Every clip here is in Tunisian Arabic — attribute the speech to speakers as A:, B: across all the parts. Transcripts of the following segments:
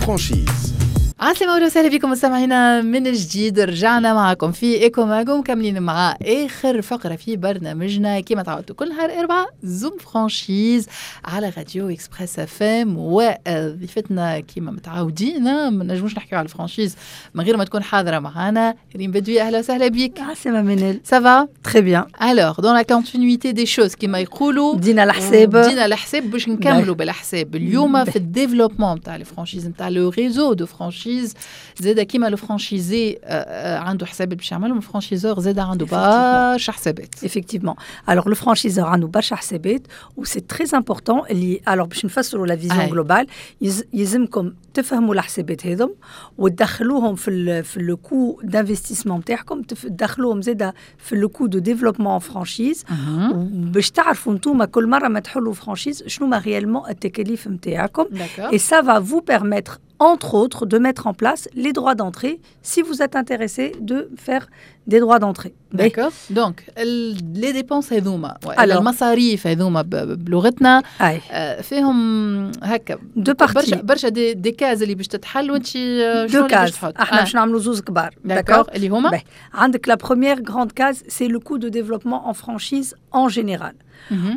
A: franchise.
B: عسلامة وسهلا بكم مستمعينا من جديد، رجعنا معكم في Eco Mag ومكملين مع اخر فقره في برنامجنا كما تعودتوا كل نهار اربعاء، Zoom franchise على راديو Express FM. وضيفتنا كما متعودين، ما نجموش نحكيو على ال franchise من غير ما تكون حاضره معنا، ريم بدوي، اهلا وسهلا بك.
C: عسلامة منال.
B: Ça va؟
C: Très bien.
B: Alors, dans la continuité des choses كما يقولوا،
C: بدينا الحساب.
B: بدينا الحساب باش نكملوا بالحساب اليوم في ال développement نتاع ال franchise، نتاع le réseau de franchise. زاد كيما le franchisé عنده حسابات باش يعملهم، ال franchiseur زاد عنده برشا حسابات.
C: Effectivement. Alors le franchiseur عنده برشا حسابات و c'est très important اللي alors باش نفسروا la vision globale، يلزمكم تفهموا الحسابات هذم وتدخلوهم في le coût d'investissement نتاعكم، تدخلوهم زاده في le coût de développement franchise، باش تعرفوا انتوما كل مرة ما تحلوا franchise شنو ما réellement التكاليف نتاعكم. Et ça va vous permettre entre autres de mettre en place les droits d'entrée si vous êtes intéressé de faire des droits d'entrée.
B: D'accord. Donc, les dépenses هذوما، المصاريف هذوما بلغتنا، فيهم هكا
C: deux parties.
B: برشا برشا des cases اللي باش تتحل، وانت
C: شنو deux cases؟ احنا باش نعملوا زوز كبار.
B: D'accord، اللي هما؟
C: عندك la première grande case، c'est le coût de développement en franchise en général.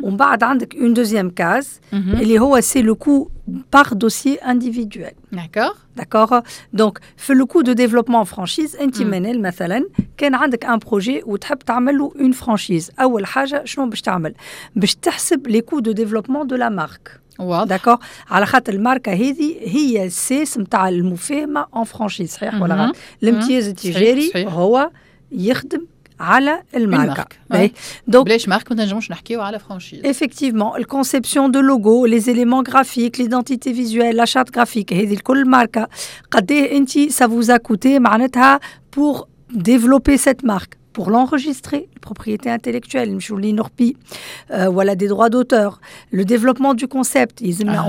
C: ومن بعد عندك une deuxième case اللي هو c'est le coût par dossier individuel. D'accord. Donc في le coût de développement franchise، انت منال مثلا كان عندك un projet وتحب تعمل له une franchise، اول حاجة شنو باش تعمل؟ باش تحسب les coûts de développement de la marque. D'accord، على خاطر الماركة هذه هي الساس نتاع المفاهمه en franchise، صحيح ولا غلط؟ الامتياز التجاري هو يخدم على الماركة.
B: Donc بلاش marque ما تنجموش نحكيو على franchise.
C: Effectivement, la conception de logo, les éléments graphiques, l'identité visuelle, la charte graphique، هذه الكل ماركة. قد ايه انت ça vous a coûté معناتها pour développer cette marque، pour l'enregistrer، propriété intellectuelle، l'INNORPI، voilà، des droits d'auteur، le développement du concept،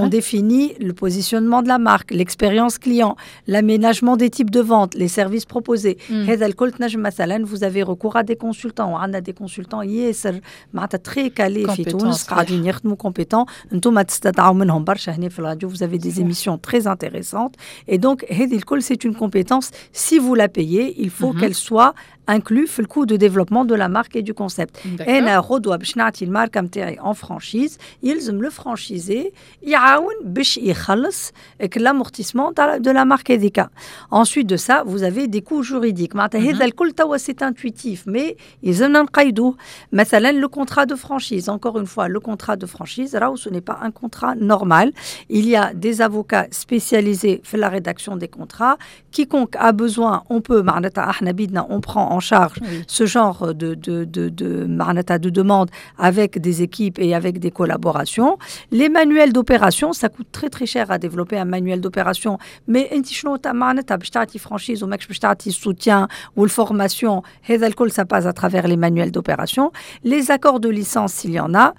C: on définit le positionnement de la marque، l'expérience client، l'aménagement des types de vente، les services proposés. هذا الكل تنجم مثلا vous avez recours à des consultants، وعندنا des consultants ياسر معناتها très calés في تونس قاعدين يخدموا، compétents، انتم تستدعوا منهم برشا هنا في الراديو، vous avez des émissions très intéressantes. et donc هذه الكل c'est une compétence، si vous la payez، il faut qu'elle soit inclus في ال coût de développement de la marque et du concept. انا غدوه باش نعطي الماركة نتاعي en franchise، يلزم le franchisé يعاون باش يخلص l'amortissement de la marque هذيك. Ensuite de ça، vous avez des coûts juridiques. معناتها هذا الكل توا c'est intuitif، mais يلزمنا نقيدوه. مثلا le contrat de franchise، encore une fois، le contrat de franchise راهو ce n'est pas un contrat normal. Il y a des avocats spécialisés في la rédaction des contrats. Quiconque a besoin، on peut، معناتها احنا بيدنا on prend en charge ce genre de, de demande avec des équipes et avec des collaborations. Les manuels d'opération، ça coûte très très cher à développer un manuel d'opération. Mais انت شنو معناتها باش تعطي franchise وماكش باش تعطي soutien ou formation؟ هذا الكل ça passe à travers les manuels d'opération. Les accords de licence s'il y en a،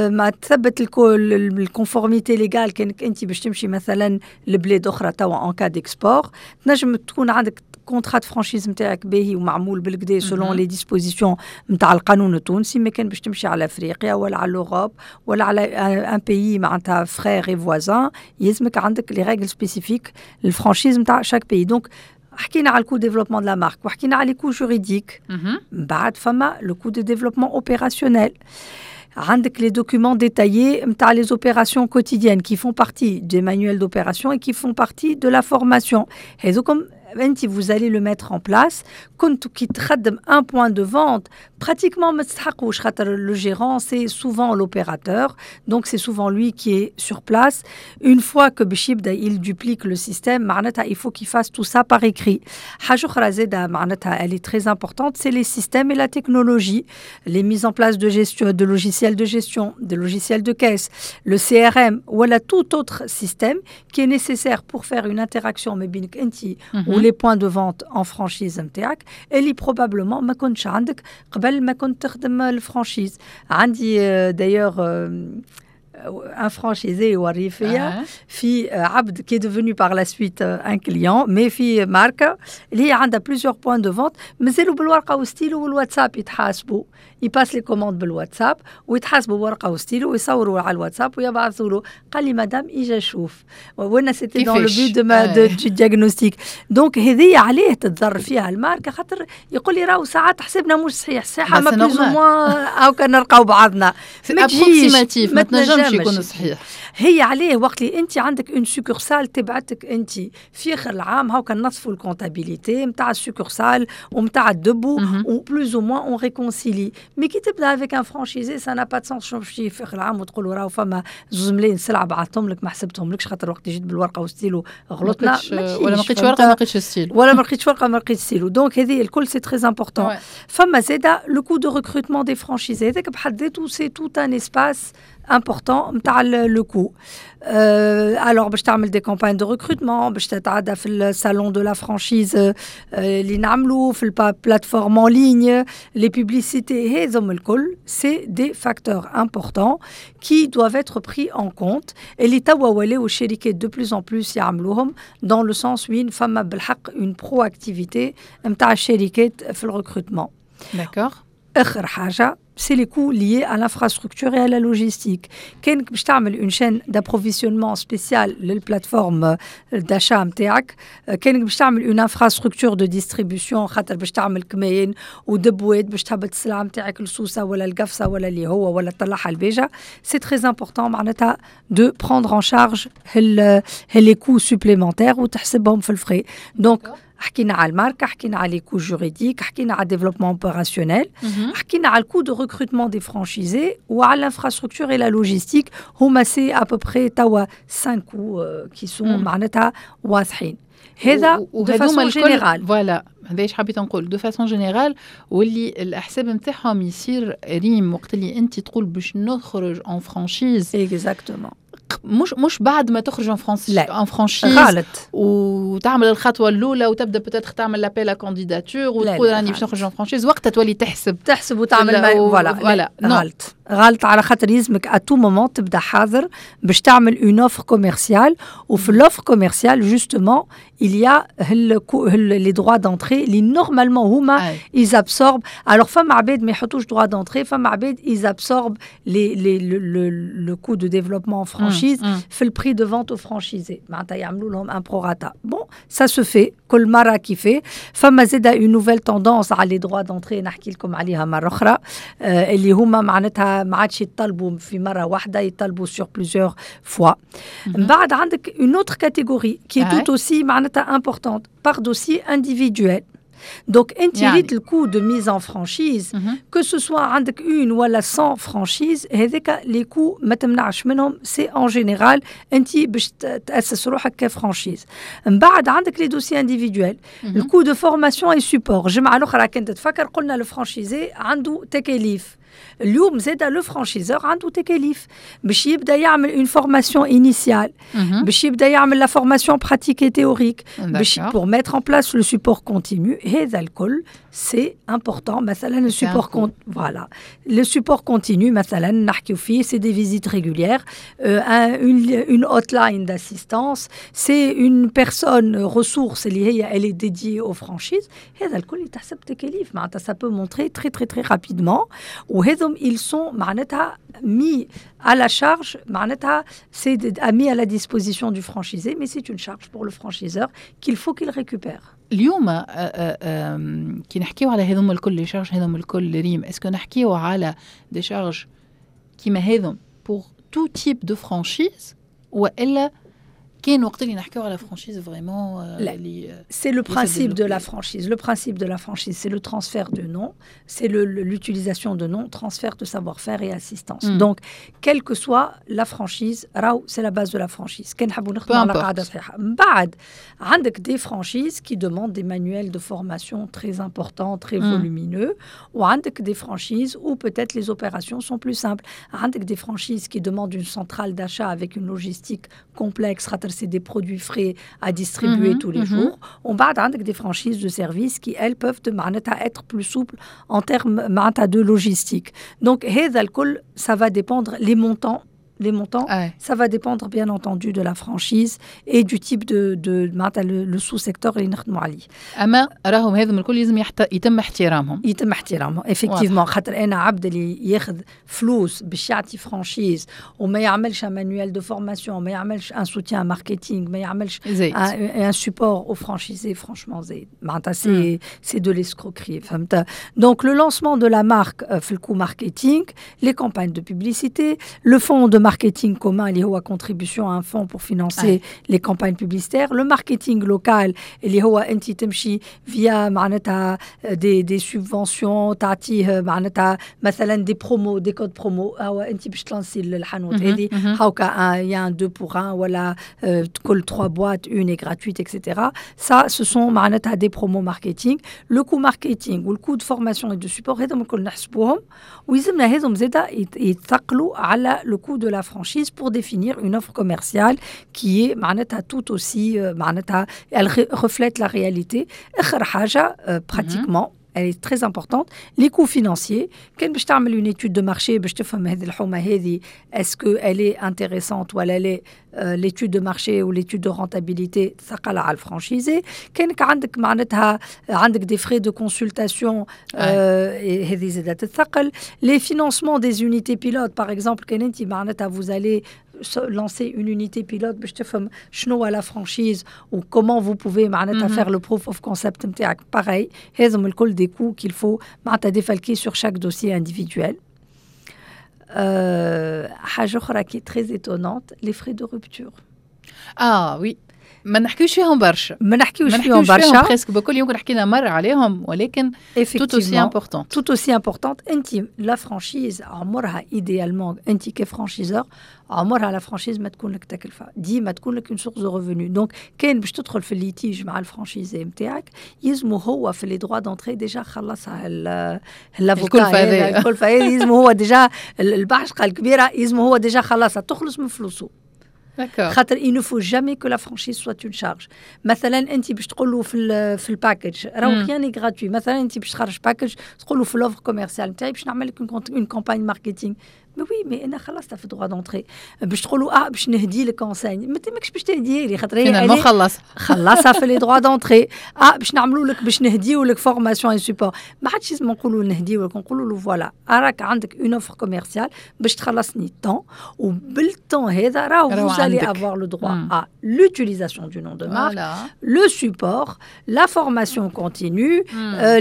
C: ما تثبت ال conformité légale كانك انت باش تمشي مثلا لبلاد اخرى توا en cas d'export، تنجم تكون عندك contrat de franchise نتاعك باهي ومعمول بالقدا selon les dispositions نتاع القانون التونسي، ما كان باش تمشي على افريقيا ولا على l'Europe ولا على un pays معناتها frère et voisin، يلزمك عندك les règles spécifiques ال franchise نتاع chaque pays. donc حكينا على ال coût développement de la marque وحكينا على les coûts juridiques. من بعد فما le coût de développement opérationnel. عندك les documents détaillés نتاع les opérations quotidiennes qui font partie des manuels d'opération et qui font partie de la formation. هذوكم انت vous allez le mettre en place. كنت كي تخدم un point de vente، pratiquement ما تستحقوش، خاطر le gérant c'est souvent l'opérateur، donc c'est souvent lui qui est sur place. une fois que باش يبدا il duplique le système، معناتها il faut qu'il fasse tout ça par écrit. حاجة اخرى زاده معناتها elle est très importante، c'est les systèmes et la technologie، les mises en place de gestion، de logiciels de gestion، de logiciels de caisse، le CRM ولا tout autre système qui est nécessaire pour faire une interaction ما بينك انت ou les points de vente en franchise نتاعك، اللي probablement ما كنتش عندك قبل ما كنت تخدم ال franchise. عندي d'ailleurs un franchisé يوري فيا في عبد qui est devenu par la suite un client, mais في ماركه اللي هي عندها plusieurs points de vente, مازالوا بالورقه وستيلو والواتساب يتحاسبوا. Ils passent les commandes بالواتساب ويتحاسبوا بورقه وستيلو ويصوروا على الواتساب ويبعثوا له. قال لي مدام اجا شوف, وانا c'était dans le but de du diagnostic. Donc هذه عليه تتضر فيها الماركه, خاطر يقول لي راهو ساعات حسبنا مش صحيح, صحيحه ما plus ou moins او كان نلقاو بعضنا.
B: ما تجيش, ما تنجمش يكون صحيح.
C: هي عليه وقت اللي انت عندك une succursale تبعتك انت في اخر العام, هاو كان نصفوا ال comptabilité نتاع ال succursale ونتاع ال dépôt و plus ou moins on réconcilie, mais كي تبدا avec un franchisé, ça n'a pas de sens في اخر العام وتقول راهو فما 2 ملايين سلعه بعثتهم لك ما حسبتهم لكش, خاطر وقت جيت بالورقه وستيلو غلطنا.
B: ولا ما لقيتش ورقه ما لقيتش ستيلو.
C: ولا ما لقيتش ورقه ما لقيتش stylo. Donc هذه الكل c'est très important. فما زاده le coût de recrutement des franchisés, هذاك بحد ذاته c'est tout un espace important نتاع le coût. Alors باش تعمل des campagnes de recrutement, باش تتعدى في ال salon de la franchise اللي نعملو في ال plateforme en ligne, les publicités, هذم الكل c'est des facteurs importants qui doivent être pris en compte, اللي توا ولاو الشركات de plus en plus يعملوهم, dans le sens وين فما بالحق une proactivité نتاع الشركات في ال recrutement.
B: D'accord.
C: اخر حاجه, c'est les coûts liés à l'infrastructure et à la logistique. كانك باش تعمل une chaîne d'approvisionnement spéciale لل plateforme d'achat نتاعك, كانك باش تعمل une infrastructure de distribution, خاطر باش تعمل كماين ودبوات باش تهبط السلعه نتاعك لسوسه ولا القفصه ولا اللي هو ولا تطلعها البيجا, c'est très important معناتها de prendre en charge les coûts supplémentaires وتحسبهم في ال frais. Donc حكينا على الماركه, حكينا على les coûts juridiques, حكينا على développement opérationnel, حكينا على ال coût de recrutement des franchisés وعلى l'infrastructure et la logistique. هما c'est à peu près توا 5 coûts qui sont معناتها واضحين. هذا de façon générale.
B: Voilà, هذا ايش حبيت نقول de façon générale, واللي الحساب نتاعهم يصير ريم وقت اللي انت تقول باش نخرج en franchise.
C: Exactement.
B: مش بعد ما تخرج en franchise.
C: لا.
B: En franchise.
C: غلط.
B: وتعمل الخطوه الاولى وتبدا peut-être تعمل l'appel à candidatures وتقول راني باش نخرج en franchise, وقتها تولي تحسب.
C: تحسب وتعمل. Voilà.
B: Voilà.
C: غلط غلط, على خاطر يلزمك à tout moment تبدا حاضر باش تعمل une offre commerciale, وفي l'offre commerciale justement il y a les droits d'entrée اللي normalement هما ils absorbent. Alors فما عباد ما يحطوش droits d'entrée, فما عباد ils absorbent les le coût de développement en franchise في ال prix de vente au franchisé, معناتها يعملوا لهم un prorata. Bon, ça se fait كل مره كيفاه. فما زاده une nouvelle tendance على les droits d'entrée, نحكي لكم عليها مره اخرى, اللي هما معناتها ما عادش يطلبوا في مره واحده, يطلبوا sur plusieurs fois. من بعد عندك une autre catégorie qui est tout aussi معناتها importante, par dossier individuel. Donc, انت يعني le coût de mise en franchise, que ce soit عندك une ولا 100 franchises, هذاك les coûts ما تمنعش منهم, c'est en général انت باش تاسس روحك ك franchise. من بعد عندك les dossiers individuels, le coût de formation et support. الجمعه الاخرى كنت تفكر قلنا le franchisé عنده تكاليف. اليوم زاد le franchiseur عنده تكاليف باش يبدا يعمل une formation initiale, باش يبدا يعمل la formation pratique et théorique, باش pour mettre en place le support continu. هذا الكل c'est important. مثلا le support, voilà, le support continu مثلا نحكيو فيه, c'est des visites régulières, une hotline d'assistance, c'est une personne ressource اللي هي elle est dédiée aux franchises. هذا الكل يتحسب تكاليف, معناتها ça peut monter très très très rapidement, وهذم ils sont معناتها mis à la charge, معناتها c'est mis à la disposition du franchisé, mais c'est une charge pour le franchiseur qu'il faut qu'il récupère.
B: اليوم كي نحكيو على هذوم الكل, les charges هذوم الكل ريم, est-ce que نحكيو على des charges كيما هذم pour tout type de franchise والا كان وقت اللي نحكيو على franchise vraiment?
C: C'est le principe de la franchise. Le principe de la franchise, c'est le transfert de nom, c'est l'utilisation de nom, transfert de savoir-faire et assistance. Donc, quelle que soit la franchise, راهو c'est la base de la franchise. كان نحبوا نخدموا على قاعدة صحيحة. من بعد عندك des franchises qui demandent des manuels de formation très importants, très volumineux, وعندك des franchises où peut-être les opérations sont plus simples. عندك des franchises qui demandent une centrale d'achat avec une logistique complexe, خاطر c'est des produits frais à distribuer tous les jours. ومن بعد عندك des franchises de services qui, elles, peuvent معناتها être plus souples en termes معناتها de logistique. Donc هذا الكل ça va dépendre les montants Les montants, ça va dépendre bien entendu de la franchise et du type de معناتها le sous-secteur اللي نخدموا عليه.
B: اما راهم هذم الكل لازم يتم احترامهم.
C: يتم احترامهم effectivement، خاطر انا عبد اللي ياخذ فلوس باش يعطي franchise وما يعملش un manuel de formation، ما يعملش un soutien marketing، ما يعملش un support aux franchisés، franchement زايد، معناتها c'est de l'escroquerie، فهمت؟ donc le lancement de la marque في ال coût marketing، les campagnes de publicité، le fonds de marketing commun اللي هو contribution à un fonds pour financer les campagnes publicitaires، le marketing local اللي هو انت تمشي via معناتها des subventions، تعطيه معناتها مثلا des promos، des codes promo، هو انت باش تلانسي الحانوت هذه هاكا y a un 2 pour 1 ولا كل 3 boîtes une est gratuite et cetera. ça ce sont معناتها des promos marketing. le coût marketing وال coût de formation et de support هذم الكل نحسبوهم، ويلزمنا هذم زاده يتثقلوا على le coût de la franchise pour définir une offre commerciale qui est معناتها tout aussi معناتها elle reflète la réalité. اخر حاجه pratiquement elle est très importante، les coûts financiers. كان باش تعمل une étude de marché باش تفهم هذه الحومه هذه est-ce que elle est intéressante ولا لا، l'étude de marché ou l'étude de rentabilité ثقل على ال franchisé. كانك عندك معناتها عندك des frais de consultation، هذه زادت تثقل. les financements des unités pilotes par exemple، كان انت معناتها vous allez lancer une unité pilote باش تفهم شنو هو la franchise و comment vous pouvez معناتها faire le proof of concept نتاعك، pareil هذم الكل des coûts qu'il faut معناتها défalquer sur chaque dossier individuel. حاجة أخرى qui est très étonnante، les frais de rupture.
B: اه oui، ما نحكيوش فيهم برشا.
C: ما نحكيوش فيهم برشا.
B: presque بكل، يمكن حكينا مرة عليهم، ولكن tout aussi important.
C: tout aussi importante. انت la franchise عمرها idéalement، انت ك franchiseur عمرها la franchise ما تكون لك تكلفه، ديما تكون لك une source de revenus. donc كان باش تدخل في ال litige مع ال franchisé نتاعك، يلزمو هو في les droits d'entrée déjà خلصها
B: l'avocat،
C: الكلفة هذه يلزمو هو déjà، البعشقه الكبيرة يلزمو هو déjà خلصها، تخلص من فلوسه. خاطر il ne faut jamais que la franchise soit une charge. مثلا انت باش تقول له في ال package، راهو rien n'est gratuit، مثلا انت باش تخرج package تقول له في l'offre commerciale نتاعي باش نعمل لك une campagne marketing، mais oui mais انا خلصتها في droits d'entrée. باش تقولوا باش نهدي لك enseigne، ما ماكش باش تهدي لي خاطر
B: هي خلص.
C: خلصها في les droits d'entrée. باش نعملوا لك، باش نهديو لك formation et support، ما عادش لازم نقولوا نهديو لك، نقولوا له voilà راك عندك une offre commerciale باش تخلصني tant، وبال tant هذا راهو vous allez avoir le droit à l'utilisation du nom de marque، le support، la formation continue،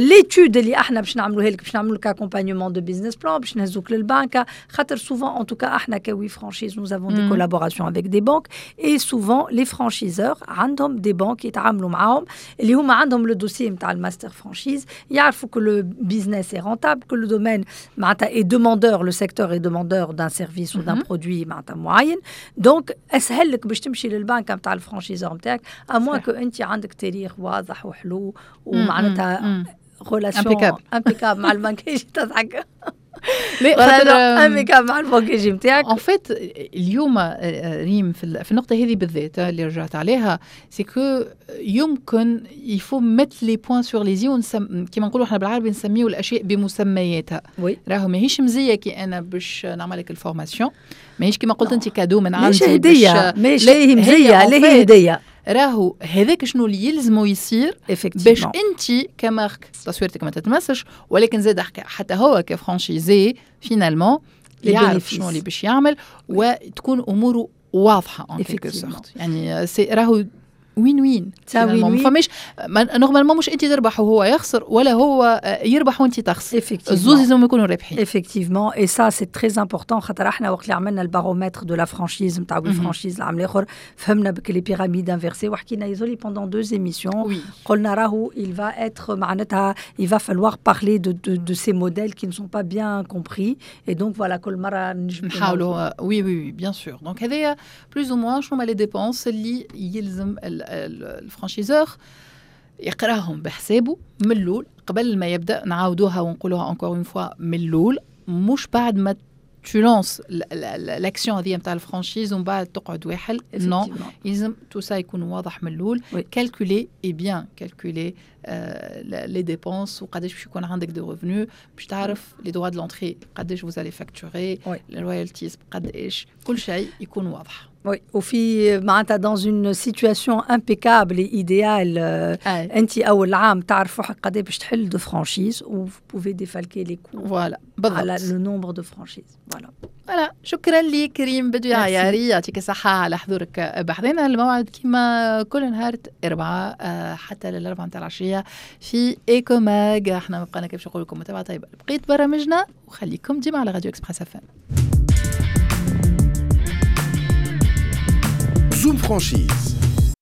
C: l'étude اللي احنا باش نعملوها لك، باش نعملوا لك accompagnement de business plan، باش نهزوك للبنكه. خاطر souvent، en tout cas احنا ك We Franchise، nous avons des collaborations avec des banques et souvent les franchiseurs عندهم des banques يتعاملوا معاهم، اللي هما عندهم le dossier نتاع ال master franchise، يعرفوا que le business est rentable، que le domaine معناتها est demandeur، le secteur est demandeur d'un service ou d'un produit معناتها معين. donc اسهل لك باش تمشي للبنك نتاع ال franchiseur نتاعك، à moins que انت عندك تاريخ واضح وحلو ومعناتها relation impeccable مع البنك. تضحك؟ لا، impeccable مع البنك نتاعك.
B: en fait اليوم ريم في النقطة هذه بالذات اللي رجعت عليها، c'est que يمكن il faut mettre les points sur les i، كيما نقولوا احنا بالعربي نسميو الاشياء بمسمياتها. راهو ماهيش مزية كي انا باش نعمل لك ال formation، ماهيش كيما قلت انت cadeau من عندي.
C: مش هديه، مش هي مزيه، لا هي هديه.
B: راهو هذاك شنو اللي يلزمو يصير باش انت ك marque تصويرتك ما تتمسش، ولكن زاد حتى هو ك franchisé finalement يعرف شنو اللي باش يعمل وتكون اموره واضحة en quelque sorte. يعني c'est راهو win win، ما فماش normalement مش انت تربح وهو يخسر ولا هو يربح وانت تخسر، الزوز لازم يكونوا رابحين.
C: effectivement، et ça c'est très important، خاطر احنا وقت اللي عملنا ال baromètre de la franchise نتاع We Franchise العام الاخر، فهمنا بك les pyramides inversées، وحكينا isolé pendant deux émissions. قلنا راهو il va être معناتها il va falloir parler de ces modèles qui ne sont pas bien compris et donc voilà كل مرة
B: نحاولوا. oui oui oui، bien sûr. donc هذايا plus ou moins شنو هما les dépenses اللي يلزم ال franchiseur يقراهم بحسابه من الاول قبل ما يبدا. نعاودوها ونقولوها encore une fois، من الاول، مش بعد ما tu lances l'action هذه نتاع ال franchise ومن بعد تقعد واحل. non، يلزم tout ça يكون واضح من الاول، calculé et bien calculé les dépenses وقداش باش يكون عندك de revenus، باش تعرف les droits de l'entrée قداش vous allez facturer، ال royalties قداش، كل شيء يكون واضح.
C: Oui, وفي معناتها dans une situation impeccable et idéale، انت اول عام تعرف روحك قد باش تحل de franchises و vous pouvez défalquer les coûts
B: voilà
C: على le nombre de franchises، voilà.
B: voilà، شكرا لك ريم بدوي عياري، يعطيك الصحة على حضورك بحذنا. الموعد كما كل نهار أربعة حتى للأربعة متاع العشية في Eco Mag. احنا ما بقانا كيف نقول لكم متابعة طيبة بقيت برامجنا، وخليكم ديما على راديو Express FM.
A: Zoom Franchise.